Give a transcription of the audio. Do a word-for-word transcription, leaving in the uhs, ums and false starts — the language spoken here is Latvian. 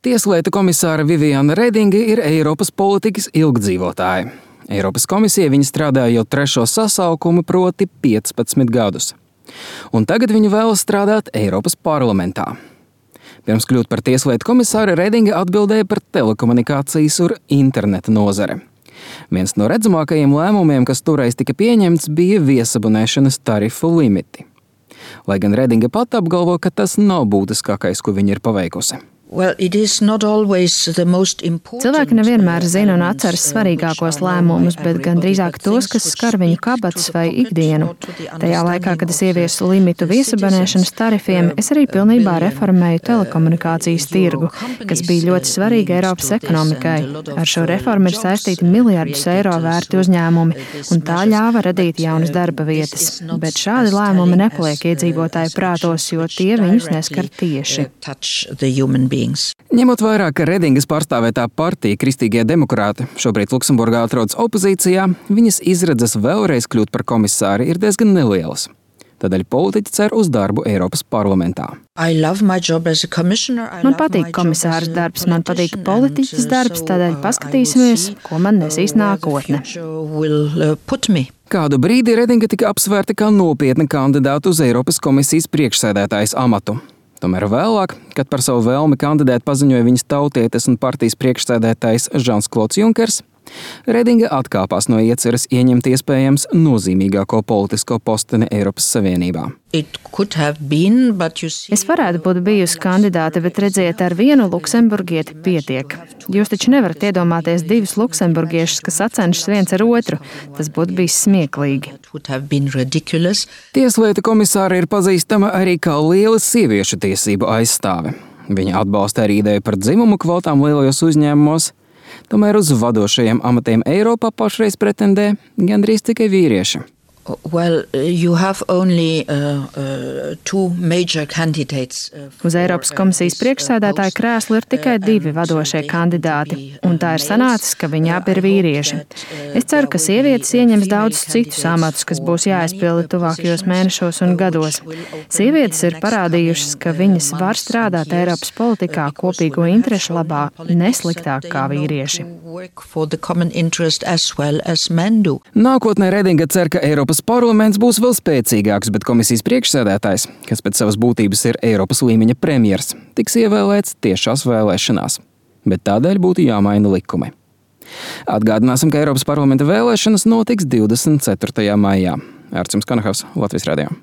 Tieslietu komisāre Viviane Redinga ir Eiropas politikas ilgdzīvotāja. Eiropas komisija viņa strādāja jau trešo sasaukumu, proti piecpadsmit gadus. Un tagad viņa vēlas strādāt Eiropas parlamentā. Pirms kļūt par tieslietu komisāri, Redinga atbildēja par telekomunikācijas un interneta nozare. Viens no redzamākajiem lēmumiem, kas toreiz tika pieņemts, bija viesabunēšanas tarifu limiti. Lai gan Redinga pat apgalvo, ka tas nav būtiskākais, ko viņa ir paveikusi. Well, it is not always the most important. Cilvēki nevienmēr zina un atceras svarīgākos lēmumus, bet gan drīzāk tos, kas skar viņu kabatas vai ikdienu. Tajā laikā, kad es ieviesu limitu viesabonēšanas tarifiem, es arī pilnībā reformēju telekomunikācijas tirgu, kas bija ļoti svarīga Eiropas ekonomikai. Ar šo reformu ir saistīti miljardus eiro vērti uzņēmumi, un tā ļāva radīt jaunas darba vietas. Bet šādi lēmumi nepaliek iedzīvotāju prātos, jo tie viņus neskar tieši. Ņemot vērā, ka Redingas pārstāvētā partija Kristīgie demokrāti šobrīd Luksemburgā atrodas opozīcijā, viņas izredzes vēlreiz kļūt par komisāri ir diezgan nelielas. Tādēļ politiķi cer uz darbu Eiropas parlamentā. Man patīk komisāras darbs, man patīk politiķis darbs, tādēļ paskatīsimies, ko man nesīs nākotne. Kādu brīdi Redinga tika apsvērta kā nopietna kandidāta uz Eiropas komisijas priekšsēdētājas amatu. Tomēr vēlāk, kad par savu vēlmi kandidēt paziņoja viņas tautietes un partijas priekšsēdētājs Žans-Klods Junkers, Redinga atkāpās no ieceres ieņemt iespējams nozīmīgāko politisko posteni Eiropas Savienībā. Been, see... Es varētu būt bijusi kandidāte, bet redziet, ar vienu luksemburgieti pietiek. Jūs taču nevarat iedomāties divus luksemburgiešus, kas sacenšas viens ar otru. Tas būtu bijis smieklīgi. Tieslietu komisāre ir pazīstama arī kā liela sieviešu tiesību aizstāve. Viņa atbalsta arī ideju par dzimumu kvotām lielajos uzņēmumos. Tomēr uz vadošajiem amatiem Eiropā pašreiz pretendē gandrīz tikai vīrieši. Well, you have only uh, uh, two major candidates. Uz Eiropas komisijas priekšsēdētāja krēslu ir tikai divi vadošie kandidāti, un tā ir sanācis, ka viņi abi ir vīrieši. Es ceru, ka sievietes ieņems daudzus citus amatus, kas būs jāizpilda tuvākajos mēnešos un gados. Sievietes ir parādījušas, ka viņas var strādāt Eiropas politikā kopīgo interešu labā nesliktāk kā vīrieši. Nākotnē Redinga cer, ka Eiropas parlaments būs vēl spēcīgāks, bet komisijas priekšsēdētājs, kas pēc savas būtības ir Eiropas līmeņa premjers, tiks ievēlēts tiešās vēlēšanās. Bet tādēļ būtu jāmaina likumi. Atgādināsim, ka Eiropas parlamenta vēlēšanas notiks divdesmit ceturtajā maijā. Ārcis Kanahavs, Latvijas radio.